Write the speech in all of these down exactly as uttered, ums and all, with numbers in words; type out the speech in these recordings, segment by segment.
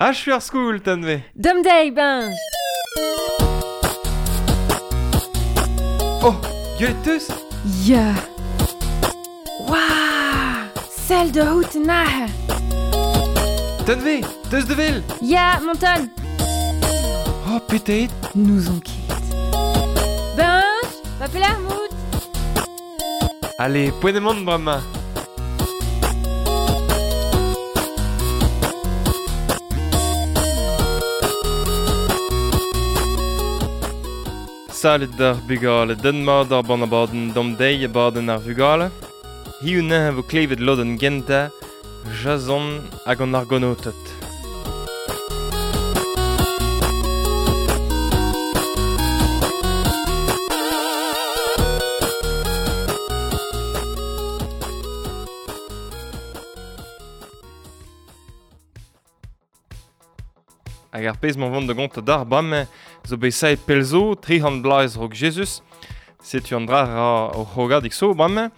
Achu ar skoul, Tanve. Dom deiz, Benj. Oh, gwelet teus? Ya. Waouh! Sell da out nahe. Tanve, teus de vel? Ya, monton. Oh, petet. Nous on ket. Benj, va pelar mout. Allez, poent emaon bremañ. Salut d'ar bugale, den mat ar ban abadenn dom deiz abadenn ar vugale. Hiziv neuze vo klevet lodenn gentañ, Jason hag an Argonoted. Hag ar pezh m'an vont da gont d'ar bremañ zo bet saet pell zo, tri c'hant bloaz raok Jezuz. Setu an dra ra o c'hrogadig zo bremañ.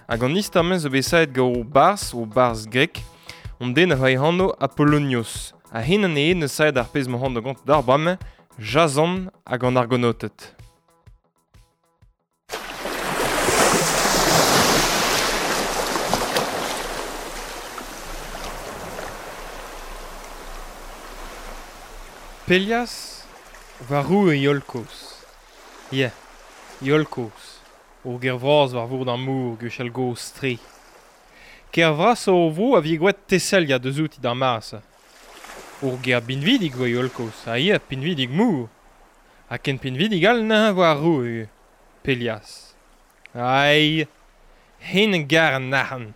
Hag an istor-mañ zo bet saet gant o barzh, o barzh grek, on den a oa e anv Apollonios. Ha hen anezhe neus saet ar pezh m'an vont da gont d'ar bremañ, Jason hag an Argonoted. Pelias war roue Iolkos. Ya, Iolkos, ur ger vras war vourd ar mor gwechall gozh tre. Ker vras o vro a vije gwraet Thessalia deus outi d'ar mare-se. Ur ger pinvidik voa Iolkos, ha ya, pinvidik mor. Ha ken pinvidik all neuze voa ar roue, Pelias. Ai, hen a gar an arc'hant.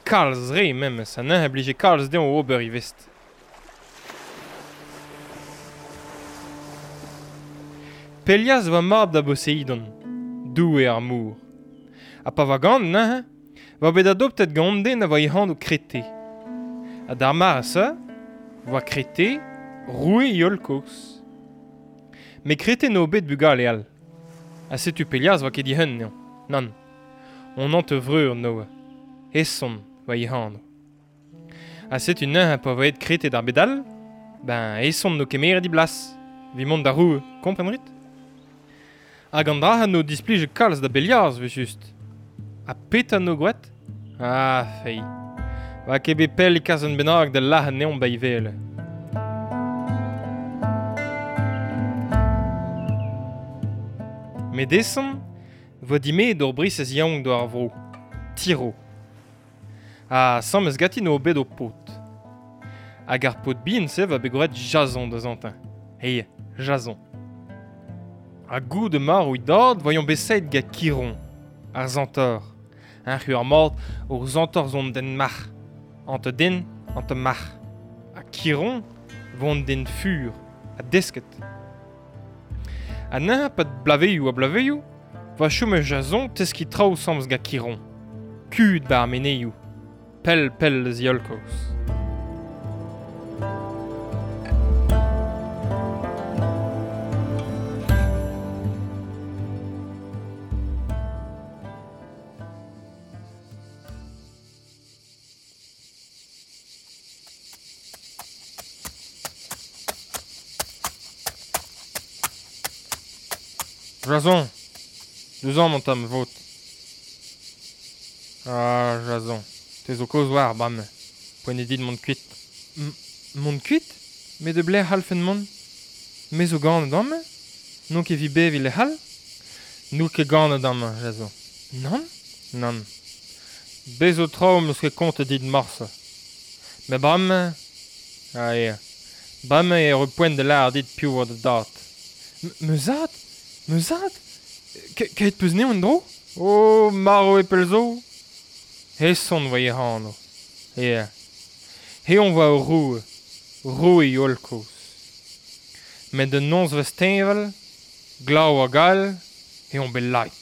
Kalz re memes, ha neuze a blije kalz dezhañ ober e vest. Pelias oa mab da Boseidon, doue ar mor. Ha pa oa ganet neuze, oa bet adoptet gant an den a oa e anv Krete. Ha d'ar mare-se, oa Krete roue Iolkos. Met Krete n'eo bet bugale all. Ha setu Pelias oa ket dihun anezhañ. Nann, on hanter-vreur n'oa. Eson oa e anv. Ha setu neuze pa oa aet Krete d'ar bed all, ben Eson n'o kemeret e blas. Evit mont da roue, kompren rit? Hag an dra n'o displije kalz da Belias, evel-just. Ha petra n'o gwraet? Ah, fei. Oa ket bet pell e kas un bennak da lâret anezhañ ba e wele. Met Eson voa dimeet ur brisez yaouank d'ar vro, Tiro. Ha asambles ganti n'o bet o paotr. Hag ar paotr bihan-se va bet gwraet Jason da zantañ. Hey, Jason. Ha goude marv e dad voiomp bet saet gant Chiron, ar Centaur. Un c'hu ar mat ur Centaur zo an den marc'h. Ante den, ante marc'h. Ha Chiron vo an den fur, ha desket. Ha neuze pad blaveioù ha blaveioù, voa chom Jason teskiñ traoù asambles gant Chiron. Kud ba ar meneioù. Pell pell eus Iolkos. Jason, deus amañ an tamm vot. Ah, Jason, te zo kaoz war bremañ. Poent eo dit mont kuit. M- mont kuit? Met da belec'h c'hallfen mont? Me zo ganet amañ? N'on ket evit beviñ lec'h all? N'out ket ganet amañ, Jason. Nann? Nann. Bez zo traoù 'm eus ket kontet dit morse. Met bremañ... Ah ya. Bremañ eo ur poent da lâret dit piv oa da dad. M- ma zad? Ma zad? Kaet peus anezhañ en-dro? Oh, marv eo pell zo. Eson oa e anv. Ya. Eñ oa ur roue. Roue Iolkos. Met un nozvezh teñval, glav hag all, eo bet laet.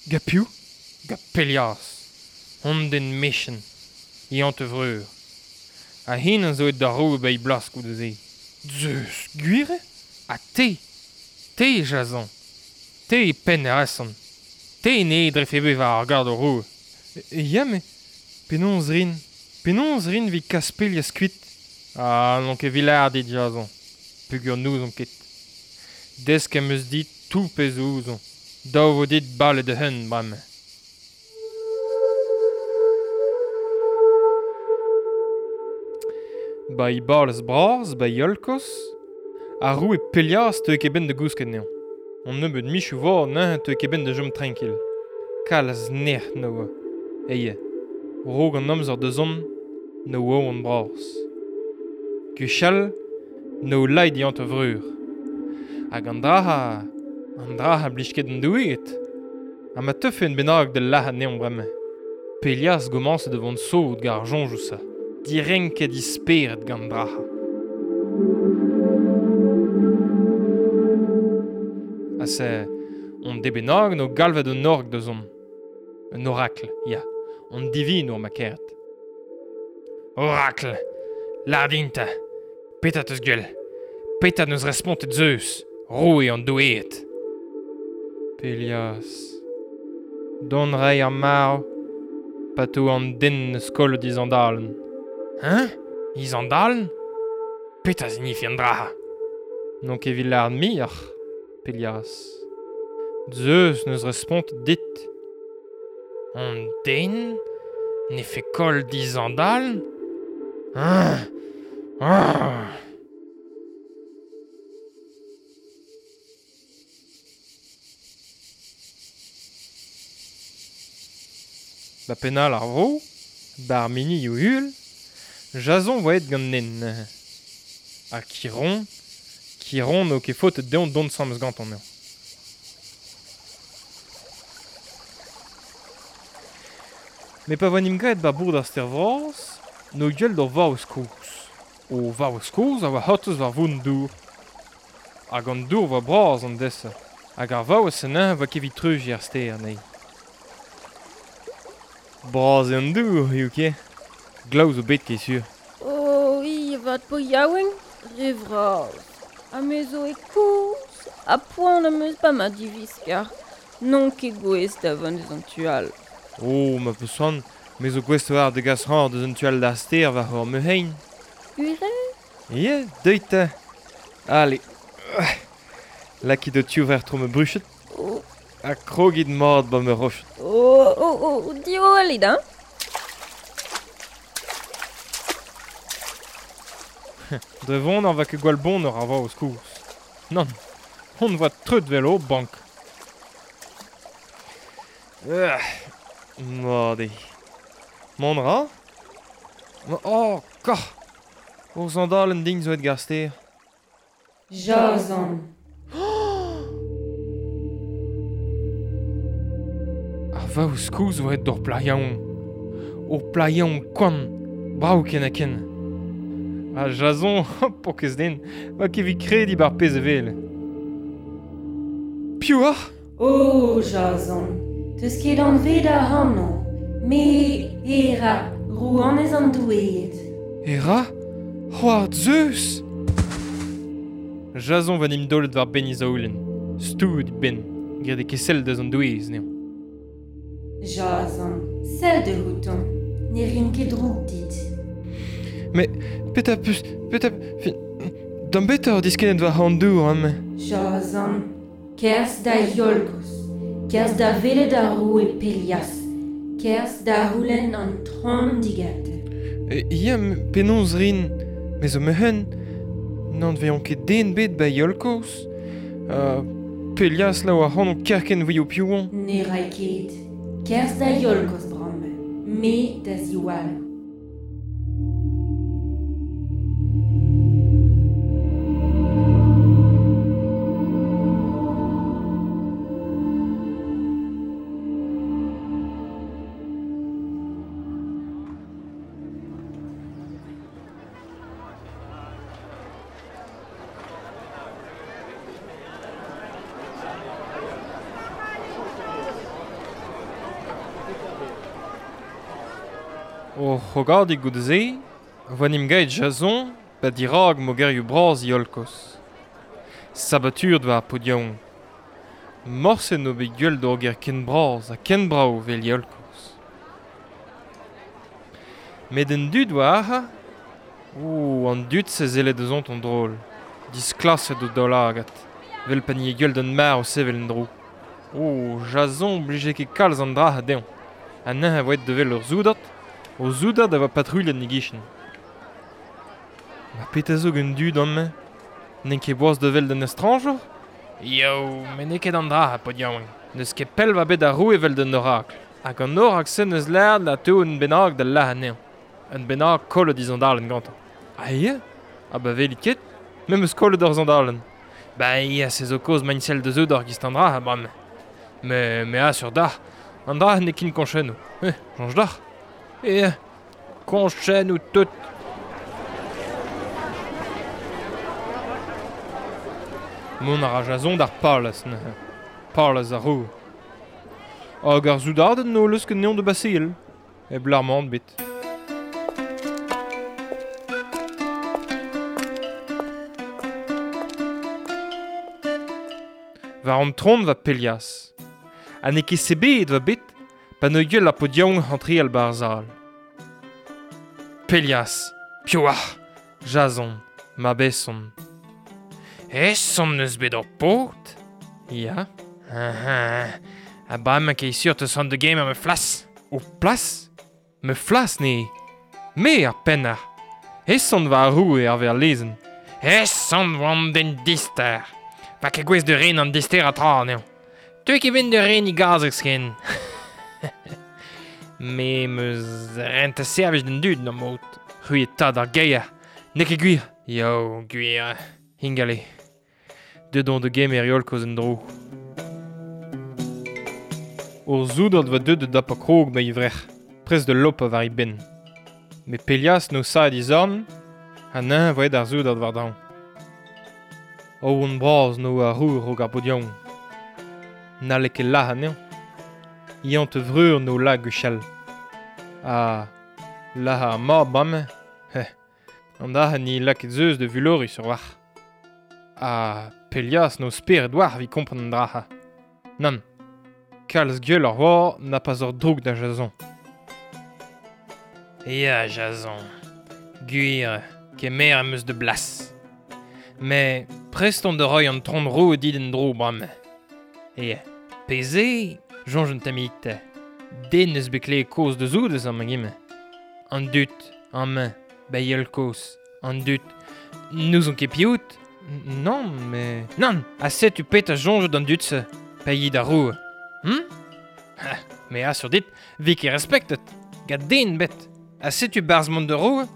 Gant piv? Gant Pelias. Hon den mechant. E hanter-vreur. Ha hen a zo aet da roue ba e blas goude-se. Zeus, gwir eo? Ha te? Te, Jason. Te e penn ar Eson. Te ne drefe bet war ar gard o roue. Ya, met penaos rin? Penaos rin evit kas Pelias kuit? Ah, n'on ket vilard dit, Jason. Pugur n'ouzon ket. Desk em eus dit tout pezh ouzon. Dav vo dit bale de hun, bremañ. Ba i balez bras, ba Iolkos, ar roue Pelias teu ket ben da gousket neon. On nebeud michou vor neuze teu ket ben da jom tranquil. Kalz nec'h no oa. Eie, rog an amzer da zont, no oa an bras. Gwechall, no laid diant a vreur. Hag an draha, an draha blij ket an doueed. Ha ma teufe en bennak da lac'hat neon bremañ. Pelias gomañse da vont sot gant ar soñjoù sa. Direnket disperet gant draha. Ha se, on debenag no galvet un org da zont. Un oracle, ya. On divinour ma keret. Oracle! Lardinta! Petra teus gwell? Petra neus respontet Zeus, roue an doueed? Pelias. Don rei ar marv, pa to an den neus kollet izandalen. Hein? Izandalen? Petra zinifi an draha? N'on ket evit lâret muioc'h, Pelias. Zeus neus respontet dit. An den ne fait koll dizandalen? Hein? Ah! Ba penal ar vro, bar mini eo hul, Jason voa aet gant nen. Ha Chiron, Chiron n'eo ket faotet dezhañ dont sammes gantañ eo. Met pa voa 'n em graet ba bourd ar stêr vras, n'o gwell d'ur vaouez kozh. O vaouez kozh a oa c'hortoz war vont dour. Hag an dour voa bras an dese. Hag ar vaouez anezhañ voa ket evit treuziñ ar stêr anezhi. Bras eo an dour, eo ket. Glav zo bet ket sur. Oh, i avat po yaouenk, re vras. Ha me zo e koz, ha poan am eus pa ma diviskar. N'on ket gouest da vont deus an tu all. Oh, ma peus c'hoant, me zo gouest war da gas c'hoant deus an tu all d'ar stêr war hor meuhein. Gwir eo? Ie, deuit ta. Allez. Lakit ho tiv war tro ma bruched. Oh. Ha krogit mat ba ma roched. Oh, oh, oh, diwallit, hein? Dre vont ar va ket gwall bon ar vaouez kozh. Nann, hon voa treut vel o bank. Ah, mat eo. Mont ra? Oh, koc'h! Ur sandalen din zo aet gant ar stêr. Jason. Ar vaouez kozh zo aet d'ur plac'h yaouank. Ur plac'h yaouank koant, brav ken ha ken. Ha Jason, paourkaezh den, va ket evit krediñ bar pezh e wel. Piv oc'h? Oh, Jason, teus ket anvet ac'hanon. Me, Hera, rouanez an doueed. Hera? C'hoar Zeus? Jason va 'n em daolet war benn e zaoulenn. Stouet e benn, graet e ket sell deus an doueez anezhañ. Jason, sell de outan, ne rin ket droug dit. Mais petra peus, petra, fin, d'am betra oc'h diskennet war an dour amañ. Jason, kerzh da Iolkos, kerzh da welet ar roue Pelias, kerzh da c'houlenn an tron digante. E, ya, penaos rin, me zo meuc'hen, n'an vezañ ket den bet ba Iolkos. Uh, Pelias la oa ac'hanon kerkent voio piv oan. Ne ray ket, kerzh da Iolkos bremañ, me da ziwall. O c'hogadig goude-se, voa 'n em gaet Jason ba dirak mogerioù bras Iolkos. Sabatur war paotr yaouank. Morse n'o bet gwell d'ur gêr ken bras ha ken brav vel Iolkos. Met an dud oa ac'ha, O, an dud se zellet eus ont an drol. Disklaset o daoulagad. Vel pa ni e d'an mar o sevel en dro. O, Jason blije ket kalz an dra a dezhañ. Ha neuze a voet devel ur zoudard, o zoudard a voa patrouilhet ni gichen. Ma petra zo gant dud amañ? N'en ket boaz devel d'un estrañjour? Yo, me n'eo ket an dra a paotr yaouank. N'eus ket pell va bet ar roue evel d'un orakl. Hag an orakl-se n'eus lâret la teu un bennak da lâr anezhañ. Un bennak kollet e zandalenn gantañ. Ah ya? Ah ba velit ket? Me 'm eus kollet ur zandalenn. Ba ya, se zo kaoz ma sell da zoudard giz an dra, bremañ. Me, me assur dac'h, an dra n'eo ket koñchennoù. Eh, soñj dac'h. Eh, koñchennoù tout. Mont a ra Jason d'ar palez neuze. Palez ar roue. Hag ar soudarded n'o leus ket neon de basil. E blarmant bet. War an tron va Pelias. Ha n'eo ket sebet va bet, pa ne gwell ar paotr yaouank antreal bar zal. Pelias, piv oc'h? Jason, ma beson. Eson eus bet ur paotr? Ya. Ah, ha bremañ ket sur te sant de game ma flas. O plas? Me flas ne. Me ar pennar. Eson va ar roue ar ver lezenn. Eson va an den dister. Va ket gouez de ren an dister a tra anezhañ. Teu ket ben de ren i gazeg sken. Me meus rent a servij d'an dud n'am maout. C'hwi e tad ar geier. N'eo ket gwir. Yo, gwir. Hingale. Deut on de gemer yol koz en dro. Ur zoudard va deut da dap a krog ma ivrec'h. Prest de lop a var i ben. Me Pelias no sa e zorn, ha neuze voet ar zoudard war draoñ. O on bras no a rour rog ar paotr yaouank. N'halle ket lâr anezhañ. Iañ te vreur no la gwechall. Ha lâr ar mab bremañ. Heh. An dra ni lakaet zeus de vulori sur war. Ha Pelias no spered war vi kompren an dra. Nann. Kalz gwell ar war n'a pas ur droug da Jason. Ya, Jason. Gwir, kemer am eus de blas. Mais prest on de roy an tron roue dit en dro bremañ. Ya, peze, soñj un tammig. Den eus bet klevet kaoz deus out eus amañ emañ. An dud, amañ, bayeul kozh, an dud, n'ouzon ket piv out. Non, mais... Nann, ha setu petra soñj d'an dud-se, paeit ar roue. Hm? Ha, me assur dit, vi ket respektet, gant den bet. Ha setu barzh mont da roue,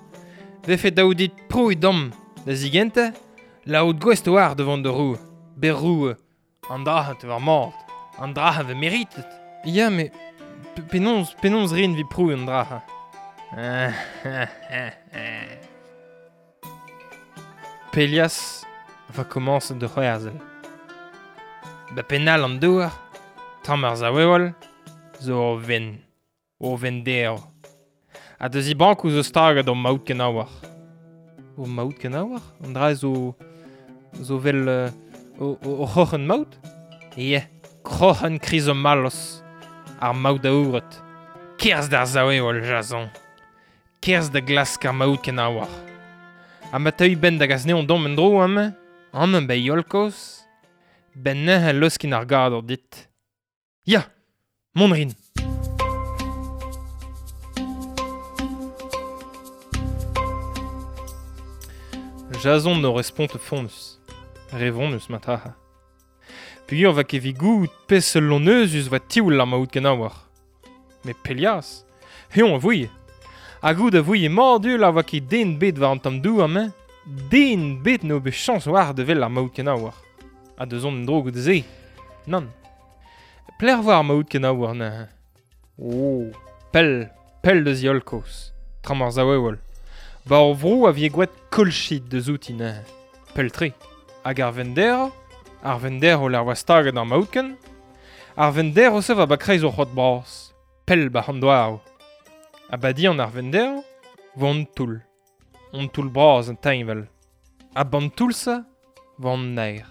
vefe daou dit prouiñ dam da zigentañ, laout gouest war devant da roue, ber roue, an dra te war mat, an dra ve meritet. Ya, mais penaos, penaos rin vi prouiñ an dra. Pelias va komañs de c'hwerzel. Ba pennal an douar, tamm ar zaoueol, zo ur ven, ur ven derv. Ha da zibankoù zo staget ur maout kenaouar. Ur maout kenaouar? An dra zo zo vel uh, o, o, o c'hroc'hen maout? Ya, kroc'hen krizomalos, ar maout aouret. Kerzh d'ar zaoueol, Jason. Kerzh da glask ar maout kenaouar. Ha ma teuy ben da gas neon dom en dro amañ, amañ ba yolkoz, ben neuze leuskin ar gador dit. Ya, mont rin. Jason no respont fonnus. Revonnus mataha. Pugur va ket vi goût pes loneuzus va tioul ar maout kenaouar. Me Pelias, heon a vouie. Ha goût a vouie mordul a va ket den bet war an tamm dou amañ, den bet no bet chañs war de vel ar maout kenaouar. Ha deus on en dro goude se. Nann. Pler war ar maout kenaouar neuze. Oh, pell, pell deus yolkoz. Tram ar zaoueol. Ba ur vro a vie gwet kolchit deus outi neuze. Pell-tre. Hag ar vender, ar vender o l'ar oa staget ar maoutken, ar vender o se va ba kreiz o c'hoad bras. Pell ba an doar. Ha ba di an ar vender, vo an toull. An toull bras an teñval. Ha ban toull-se, vo an naer.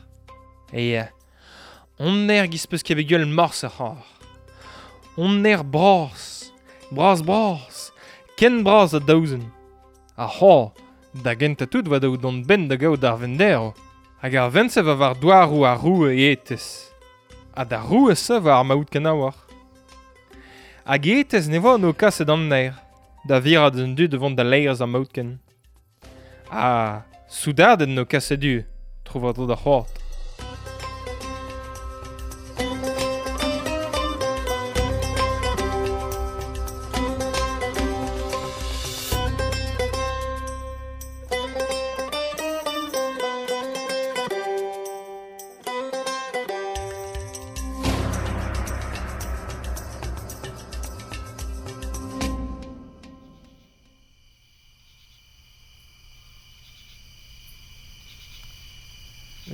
E on naer giz peus ket bet gwell morse ar c'har. On naer bras, bras bras, ken bras a daouzen. Ar c'har, Da gentañ tout 'oa dav dont 'benn da gaout ar venderv. Hag ar vent-se 'oa war douaroù ar roue Aetes. Ha d'ar roue-se 'oa ar maoutken a-walc'h. Hag Aetes ne oa no kaset an naer, da virat an dud da vont da laerezh ar maoutken. Ha soudarded no kaset du, tro war-dro d'ar c'hoad.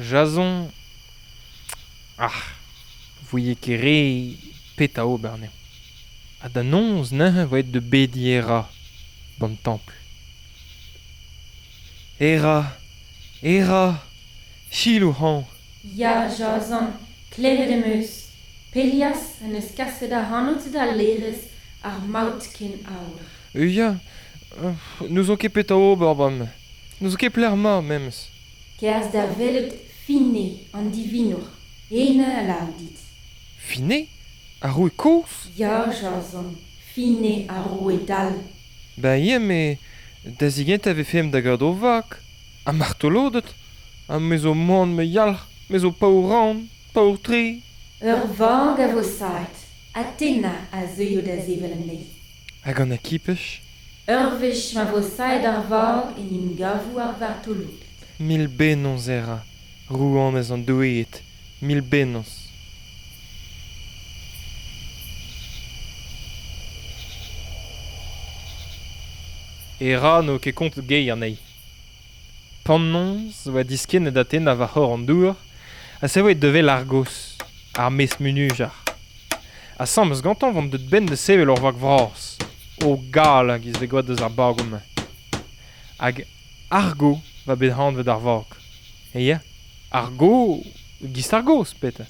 Jason... Ah, voye ket re petra ober anezhañ. Ha da noz neuze 'oa aet da bediñ Hera, d'an templ. Hera, Hera, selaou hañ. Ya, Jason, klevet em eus. Pelias en deus kaset ac'hanout da laerezh ar maoutken aour. Ya, n'ouzon ket petra ober bremañ. N'ouzon ket pelec'h 'mañ memes. Kerzh da welet Fine an divinour, eñ a lâr dit. Fine ? Ar roue kozh ? Ya, Jason, Fine ar roue dall. Ben ya, met da zigentañ e vefemp da gaout ur vag. Ha martoloded. Ha me zo moan ma yalc'h, me zo paour-ran, paour-tre. Ur vag a vo savet, Athena a zeuio da sevel anezhi. Hag an akipaj ? Ur wech ma vo savet ar vag en em gavo ar vartoloded. Mil bennozh Hera, rouanez an doueed, mil bennozh. Hera n'eo ket kontet geier anezhi. Pan-noz 'oa diskennet Athena war c'horre an dour ha savet da wel Argos, ar mestr munujar. Asambles gantañ 'oant deut 'benn da sevel ur vag vras, o gal a-giz 'vez gwraet deus ar bagoù-mañ. Hag Argo 'oa bet anvet ar vag. Ya, Argo, 'giz ar gaoz, petra.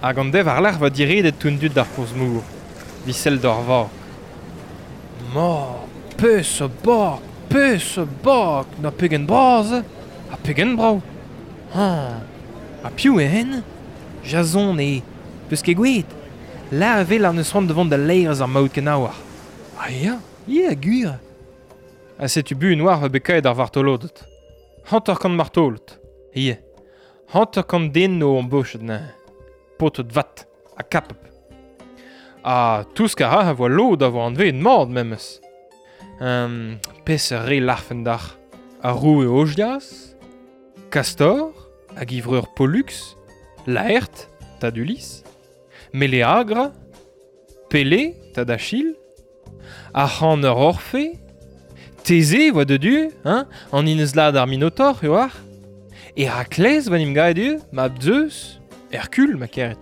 Hag an deiz war-lerc'h 'oa diredet tout an dud d'ar porzh-mor, 'vit sellet doc'h ar vag. Ma, peseurt bag, peseurt bag, na pegen bras eo, ha pegen brav. Ha, ha piv eo hen ? Jason eo, 'peus ket gwelet ? Lâr e vel ar neus c'hoant da vont da laerezh ar maoutken aour. Ah ya, ya, gwir. Ha setu buan 'oar 'oa bet kaeet ar vartoloded. Hanter-kant martolod, ya. Hanter-kant den o embochet neuze. Paotred vat ha kapab. Ha tousk a ra a voa lod a voa anveet mat memes. Um, peseurt re larfen dac'h ? Ar roue Ojias, Castor, hag e vreur Pollux, Laerte, tad Ulysse, Meleagre, Pélée, tad Achille, ar c'haner Orphée, Thésée 'oa deut du, hein, an Inezlad ar Minotaur, eo ar. Herakles 'oa 'n em gavet du, mab Zeus, Hercule, ma keret.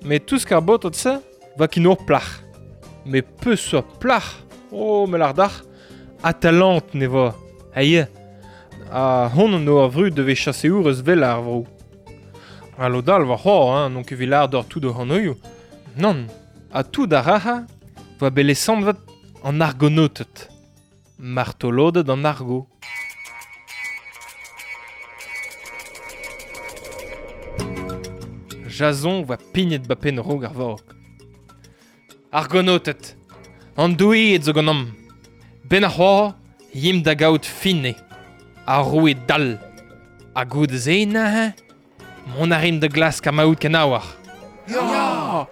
Met tousk ar baotred-se 'oa ket ur plac'h. Met peseurt plac'h ? Oh, me lâr dac'h, Atalante ne voa. Ha ya, ha hon an eo ar vrud da vez chaseourez vel ar vro. Ha lod all 'oa c'hoazh, hein, n'on ket evit lâr deoc'h tout o anvioù. Nann, ha tout ar rac'ha 'oa bet lesanvet an Argonoted. Martoloded an Argo. Jason 'oa pignet 'ba penn raok ar vag. Argonoted, an doueed zo ganeomp. 'Benn ar c'hoazh, yimp da gaout Fine, ar roue dall. Ha goude-se neuze, mont a rimp da glask ar maoutken aour. Ya !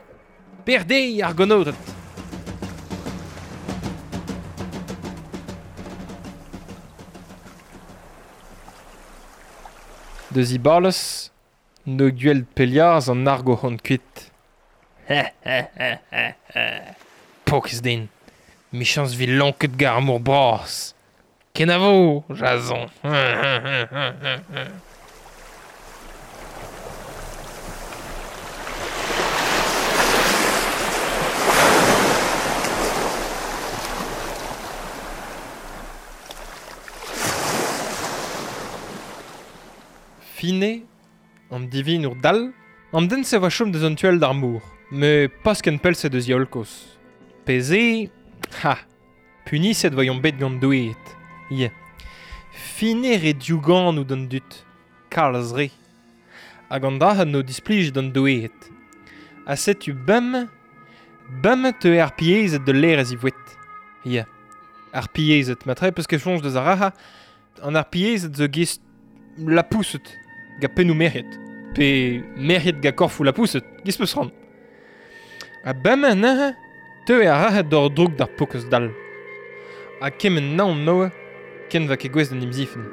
Berdeiz, Argonoted ! Deus Ibalez, n'o gwell Pelias an Argo c'hont kuit. Pokez din, 'michañs 'vi lonket gant ar mor bras. Kenavo, Jason. Fine, an divinour dal, an den se va chom deus an tuel d'ar mour, me pas ken pell se deus Iolkos. Peze, ha, puniset voyomp bet gant doueet. Ie. Fine re diougan ou d'an dut, kalz re. Hag an dra no displij d'an doueet. Ha setu bem, bem te ar piezet de l'air ez i voet. Ie. Ar piezet, matre peus ket soñj deus ar raha, an ar piezet zo gist la pousset, ga pennou merc'hed. Pe merc'hed ga korfou la pousset, giz peus ran. Ha bem neuze, teu ar raha d'or droug d'ar pokez dal. Ha kement naon noe, ken va ket gwez d'an imzifen.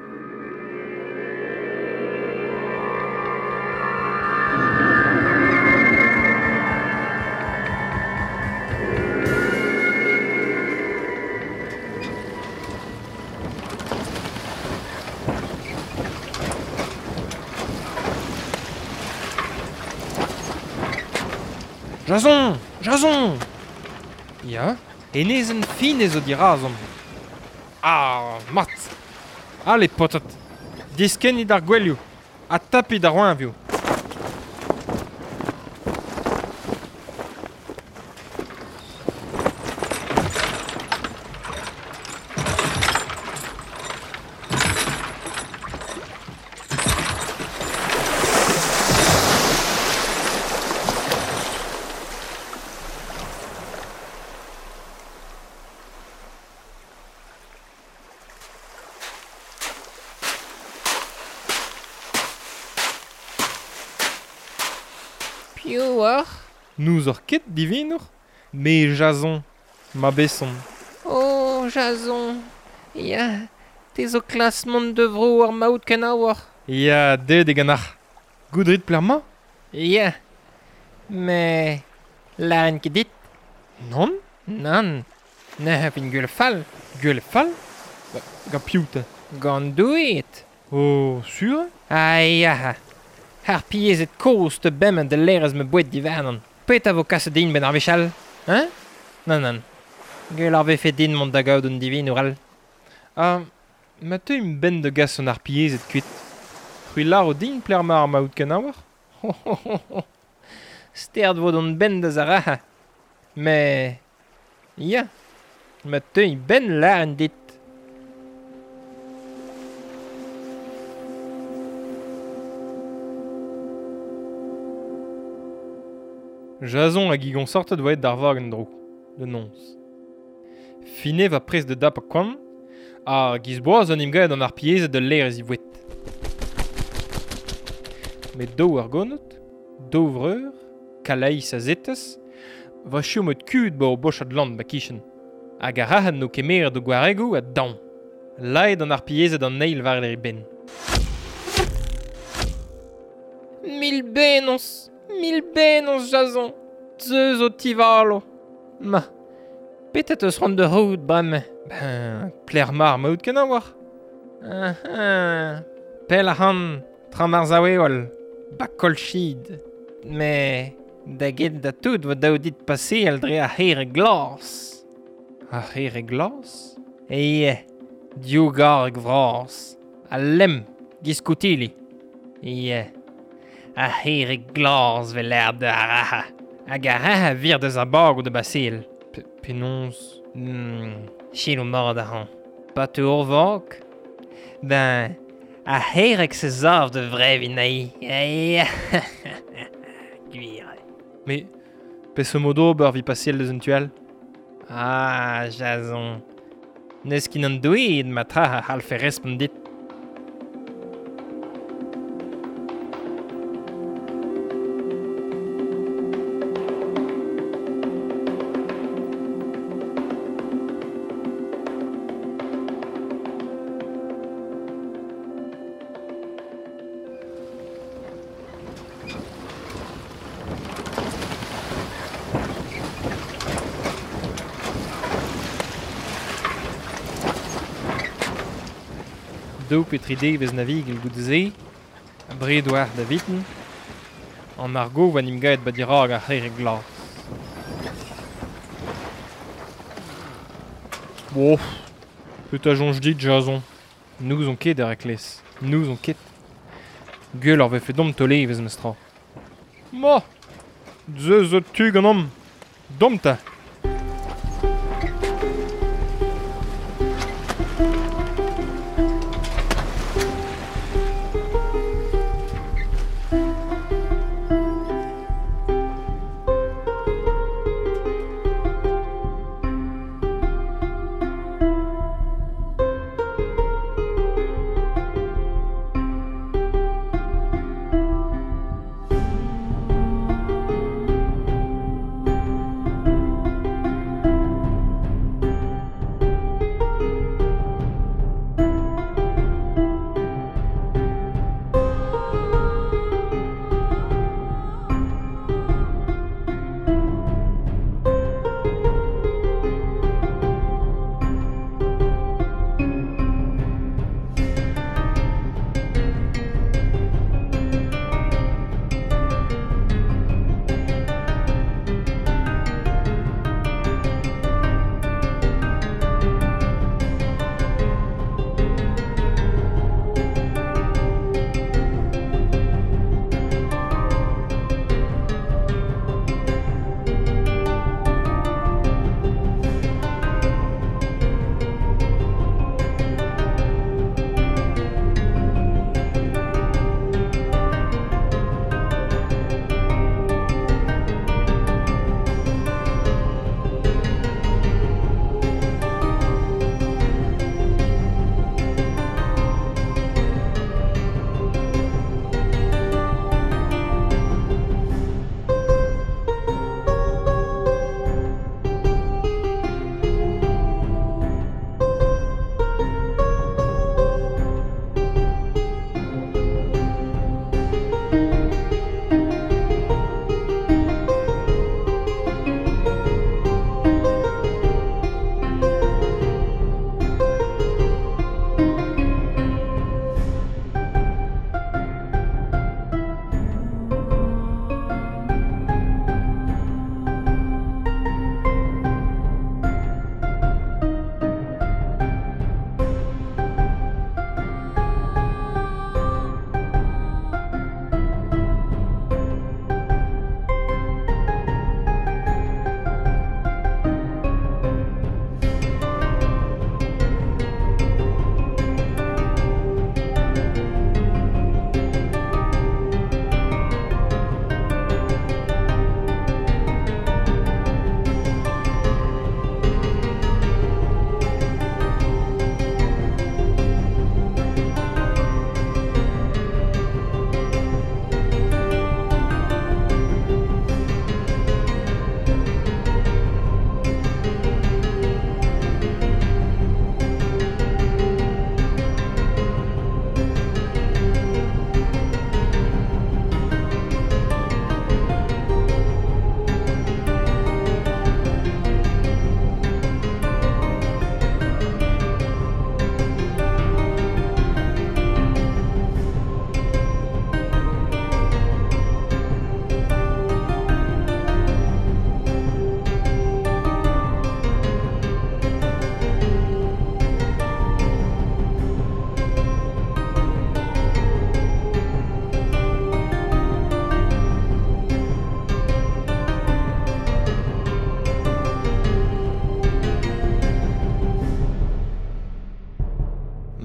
Jason! Jason! Ya, enezen fin ez o dirazon. Ah, mat! Ale, potat! Diskennit ar gwelioù, ha tapit ar roeñvioù. Piv oc'h? Nous oc'h ket divinour, me Jason, ma besson. Oh, Jason, ya, te zo klas mont de vro ar maout kenaouoc'h. Ya, deut e ganac'h. Goudrit pler ma? Ya, me laren ket dit. Non? Nann, ne fin gwell fall. Gwell fall? Ba, ga piv te? Gant doueet. Oh, sur? Ah, ya. Ar piezet kozh te bemment de lerez me boued divernan. Petra vo kaset din ben ar wechall? Hein? Nann, nann. Gwell ar vefe din mont da gaout un divinour all. Ah, ma teu im ben de gas an ar piezet kuit. C'hwi laro din pler ma ar maout kenaouoc'h? Ho, ho, ho, ho. Sterd vo d'on ben da zaraha. Me... Ya, ma teu im ben laren dit. Jason hag igon sortet voet d'ar vag en dro, de nonz. Fine va prez de dap a koan, ha giz boaz an imgaet an ar piezet de l'air ez i voet. Met daou ar gonot, daou vreur, Kalais a zetez, va chomot kud ba o bochad land ba kichen. Hag ar rahan no kemeret o gwaregoù a daon. Laet an ar piezet an eil war e ben. Mil bennoz! Mil bennoz, Jason! Zeus o tivalo! Ma, petet eus rand de rout bremañ? Ben, pler mar maout kenaouoc'h. Ah, ah, pell ac'han, tra mar zaoueol, ba kolchid. Me, da get da tout vo daou dit passeal dre ar c'here glas. Ar c'here glas? Ie, div garg vras. A lemm, giskoutili. Ie. Ar c'here glas vel aer da araha. Hag ar raha vir deus ar bag ou de basil. Penaos? Hmm, chilo mort ac'han. Pa te ur vag? Ben, ar c'herek se zav de vrevin aï. Aïe. Gwir. Mais, peseurt mod ober vi pasel deus un tual? Ah, Jason. N'eus ket an doueed ma tra a c'hallfe respont dit. Daou pe tri devez navigel goude-se, a bred oar da viten, an argo va nim gaet ba dirag ar c'here glas. Bof, petra soñj dit, Jason? N'ouzon ket ar eklez, n'ouzon ket. Gwell ar vefe domp tolevez mestra. Ma, ze zo tu gant om. Domp ta.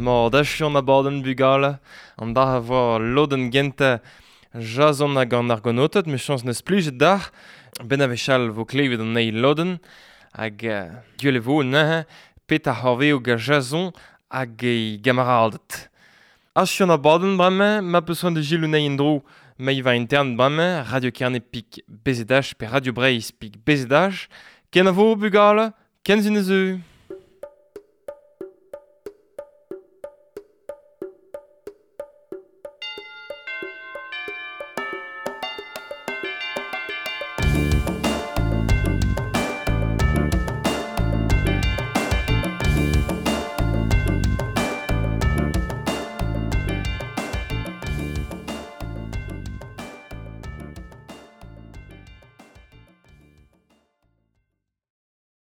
Mor dachu an abadenn bugale, an dar a vo lodenn gentañ Jason hag an argonotet, me chañs neus plijet d'ar, ben a vechal vo klevet an eil lodenn, hag uh, gwell e vo neuze, pet ar c'horveo ga Jason hag e gamaraldet. Achu an abadenn bremañ, ma peus c'hoant da gilou nei en-dro, ma i va intern bremañ, Radio Kerne pik B Z H pe Radio Breizh pik B Z H, ken a vo bugale, ken zun eus.